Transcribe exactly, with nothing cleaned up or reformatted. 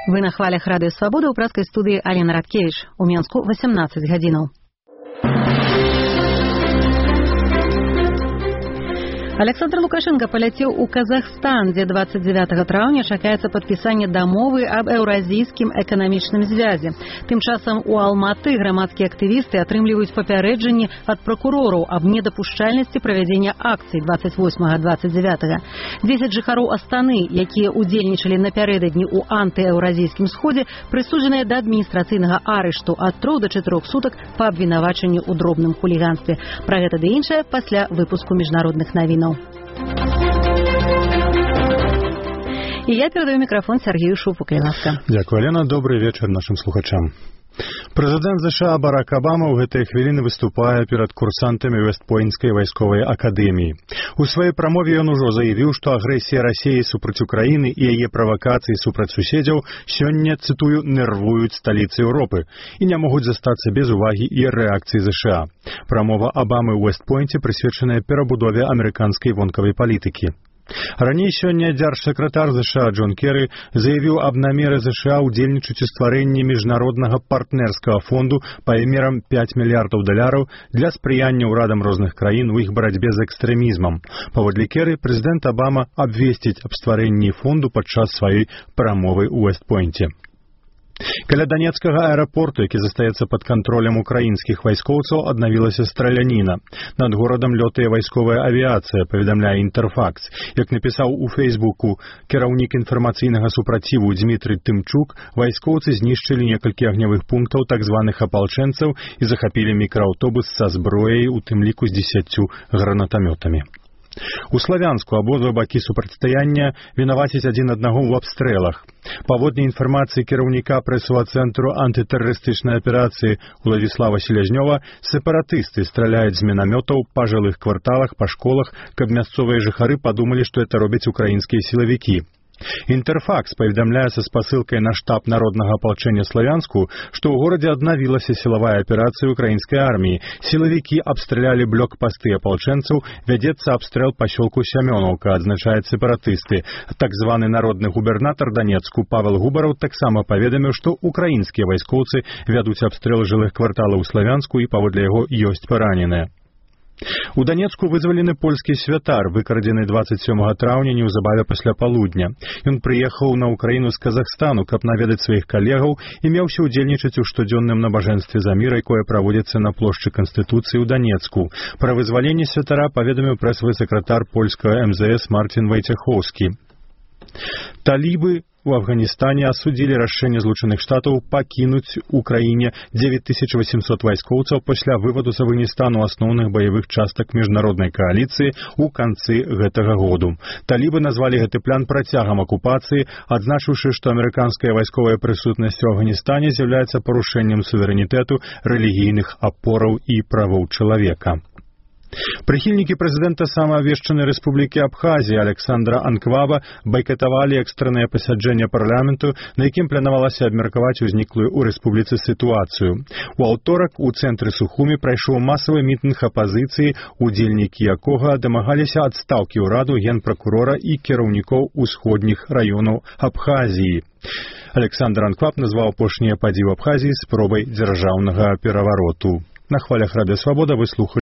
Вы на хвалях Радыё Свабода ў пражскай студыі Алена Радкевіч. У Менску восемнадцать гадзінаў. Александр Лукашенко паляцеў у Казахстан, дзе двадцать девятого траўня чакаецца падпісанне дамовы аб еўразійскім эканамічным звязе. Тым часам у Алматы грамадскія актывісты атрымліваюць папярэджанні ад пракурораў аб недапушчальнасці правядзення акцый двадцать восьмага двадцать девятого. дзесяць жыхароў Астаны, якія ўдзельнічалі напярэдадні ў антыеўразійскім сходзе, прысуджаныя да адміністрацыйнага арышту ад трох да чатырох сутак па абвінавачанні ў дробным хуліганстве. Пра гэта ды іншае пасля выпуску міжнародных навінаў. І я перадаю мікрафон Сергею Шупу. Дякую, Алена. Добрый вечар нашим слухачам. Прэзідэнт ЗША Барак Абама ў гэтыя хвіліны выступае перад курсантамі Вэст-Пойнтскай вайсковай акадэміі. У сваёй прамове ён ужо заявіў, што агрэсія Расіі супраць Украіны і яе правакацыі супраць суседзяў сёння, цытую, нервуюць сталіцы Еўропы і не могуць застацца без увагі і рэакцыі ЗША. Прамова Абамы ў Вэст-Пойнце прысвечаная перабудове амерыканскай вонкавай палітыкі. Раней сёння дзяржсакратар ЗША Джон Керры заявіў аб намеры ЗША ўдзельнічаць у стварэнні міжнароднага партнерскага фонду памерам пяць мільярдаў даляраў для спрыяння ўрадам розных краін у іх барацьбе з экстрэмізмам. Паводле Керры, прэзідэнт Абама абвесціць аб стварэнні фонду падчас сваёй прамовы ў Вэст-Пойнце. Каля Данецкага аэрапорту, які застаецца пад кантролем украінскіх вайскоўцаў, аднавілася страляніна. Над горадам лётае вайсковая авіяцыя, паведамляе Інтэрфакс. Як напісаў у Фейсбуку кіраўнік інфармацыйнага супраціву Дмітрый Тымчук, вайскоўцы знішчылі некалькі агнявых пунктаў так званых апалчэнцаў і захапілі мікрааўтобус са зброяй, у тым ліку з дзесяццю гранатамётамі. У Славянску абодва бакі супрацьстаяння вінавацяць адзін аднаго ў абстрэлах. Паводле інфармацыі кіраўніка прэсавага цэнтру антытэрарыстычнай аперацыі Уладзіслава Селязнёва, сепаратысты страляюць з мінамётаў па жылых кварталах, па школах, каб мясцовыя жыхары падумалі, што это робяць украінскія сілавікі. Інтэрфакс паведамляе са спасылкай на штаб народнага апалчэння Славянску, што ў горадзе аднавілася сілавая аперацыя украінскай арміі. Сілавікі абстралялі блокпасты апалчэнцаў, вядзецца абстрэл пасёлку Сямёнаўка, адзначаюць сепаратысты. Так званы народны губернатар Данецку Павел Губараў таксама паведаміў, што украінскія вайскоўцы вядуць абстрэл жылых кварталаў у Славянску і паводле яго ёсць параненыя. У Данецку вызвалены польскі святар, выкрадзены двадцать сёмага траўня неўзабаве пасля палудня. Ён прыехаў на Украіну з Казахстану, каб наведаць сваіх калегаў і меўся ўдзельнічаць у штодзённым набажэнстве за мір, якое праводзіцца на плошчы Канстытуцыі ў Данецку. Пра вызваленне святара паведаміў прэсавы сакратар польскага эм зэ эс Марцін Вайцехоўскі. Талібы у Афганістане асудзілі рашэнне Злучаных Штатаў пакінуць у краіне дзевяць тысяч восемьсот вайскоўцаў пасля вываду з Афганістану асноўных баявых частак міжнароднай кааліцыі ў канцы гэтага году. Талібы назвалі гэты план працягам акупацыі, адзначыўшы, што амерыканская вайсковая прысутнасць у Афганістане з'яўляецца парушэннем суверэнітэту, рэлігійных апораў і правоў чалавека. Прыхільнікі прэзідэнта самаабвешчанай рэспублікі Абхазія Александра Анкваба байкатавалі экстраннае пасяджэнне парламенту, на якім планавалася абмеркаваць узніклую ў рэспубліцы сітуацыю. У аўторак у цэнтры Сухумі прайшоў масавы мітынг апазіцыі, удзельнікі якога дамагаліся адстаўкі ўраду, генпракурора і кіраўнікоў усходніх раёнаў Абхазіі. Александр Анкваб назваў апошнія падзеі ў Абхазіі спробай дзяржаўнага перавароту. На хвалях Радыё Свабода вы слухалі